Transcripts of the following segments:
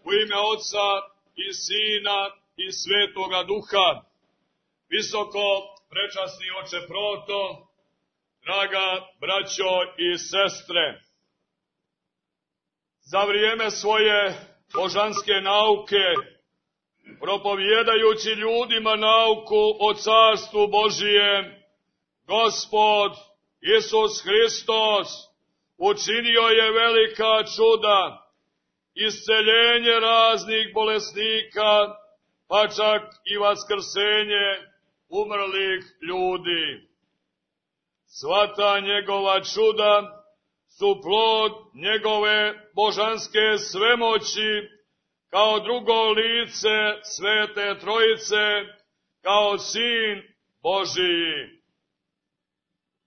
U ime Oca i Sina i Svetoga Duha. Visoko prečasni oče Proto, draga braćo i sestre, za vrijeme svoje božanske nauke, propovijedajući ljudima nauku o Carstvu Božijem, Gospod Isus Hristos učinio je velika čuda, isceljenje raznih bolesnika, pa čak i vaskrsenje umrlih ljudi. Sva njegova čuda su plod njegove božanske svemoći, kao drugo lice Svete Trojice, kao Sin Božiji.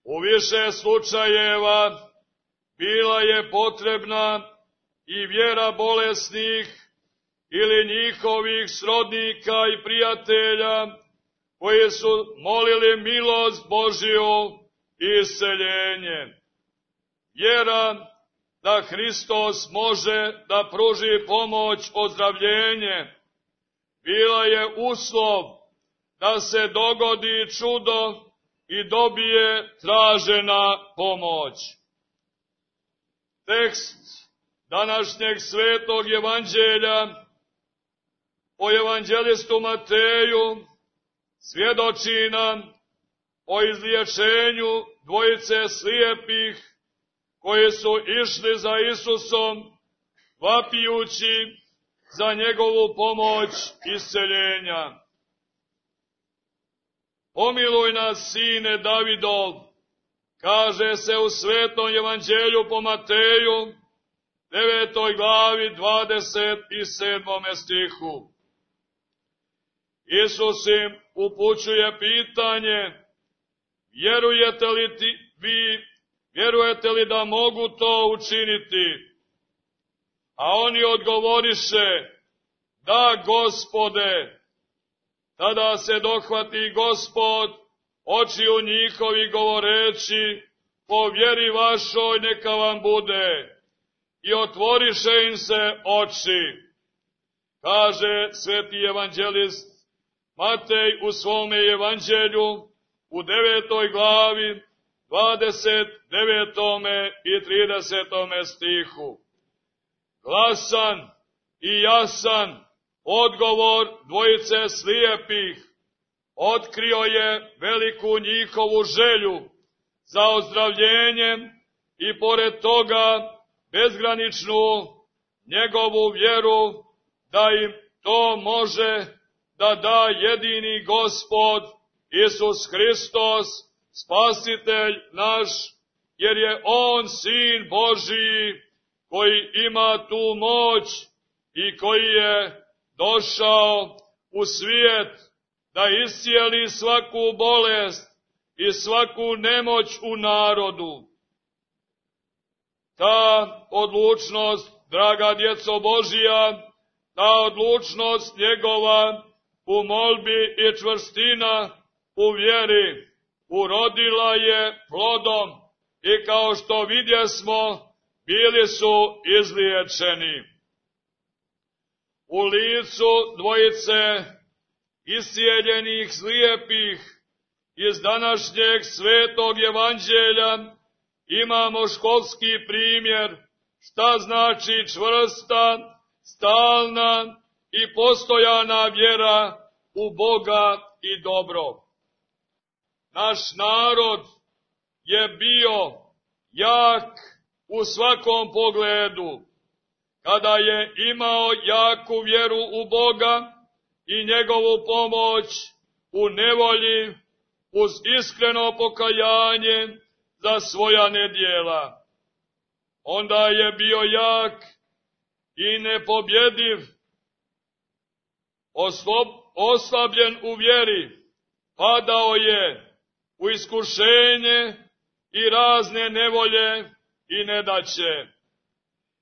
U više slučajeva bila je potrebna i vjera bolesnih ili njihovih srodnika i prijatelja, koji su molili milost Božiju i isceljenje. Vjera da Hristos može da pruži pomoć ozdravljenje bila je uslov da se dogodi čudo i dobije tražena pomoć. Tekst današnjeg svetog evanđelja po evanđelistu Mateju svjedoči nam o izliječenju dvojice slijepih koji su išli za Isusom, vapijući za njegovu pomoć isceljenja. Pomiluj nas, sine Davidov, kaže se u svetom evanđelju po Mateju, 9. glavi, 27. stihu. Isus im upućuje pitanje: vjerujete li da mogu to učiniti? A oni odgovoriše: da, Gospode. Tada se dohvati Gospod očiju njihovi govoreći: po vjeri vašoj neka vam bude. I otvoriše im se oči. Kaže sveti evanđelist Matej u svome evanđelju u 9. glavi, 29. i 30. stihu. Glasan i jasan odgovor dvojice slijepih otkrio je veliku njihovu želju za ozdravljenjem i pored toga bezgraničnu njegovu vjeru da im to može da da jedini Gospod Isus Hristos, Spasitelj naš, jer je On Sin Božiji koji ima tu moć i koji je došao u svijet da iscijeli svaku bolest i svaku nemoć u narodu. Ta odlučnost, draga djeco Božija, ta odlučnost njegova u molbi i čvrstina u vjeri urodila je plodom i kao što vidjesmo, bili su izliječeni. U licu dvojice iscijeljenih slijepih iz današnjeg svetog evanđelja imamo školski primjer šta znači čvrsta, stalna i postojana vjera u Boga i dobro. Naš narod je bio jak u svakom pogledu, kada je imao jaku vjeru u Boga i njegovu pomoć u nevolji, uz iskreno pokajanje za svoja nedjela. Onda je bio jak i nepobjediv, oslabljen u vjeri, padao je u iskušenje i razne nevolje i nedaće.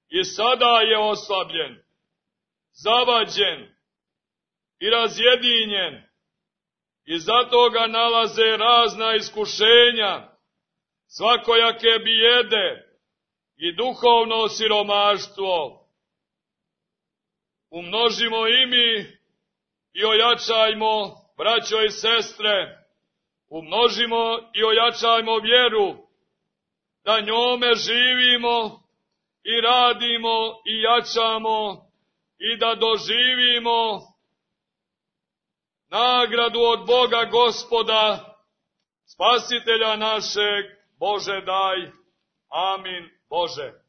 I sada je oslabljen, zavađen i razjedinjen, i zato ga nalaze razna iskušenja, svakojake bijede i duhovno siromaštvo. umnožimo i mi i ojačajmo, braćo i sestre, umnožimo i ojačajmo vjeru, da njome živimo i radimo i jačamo i da doživimo nagradu od Boga Gospoda, Spasitelja našeg. Bože daj. Amin Bože.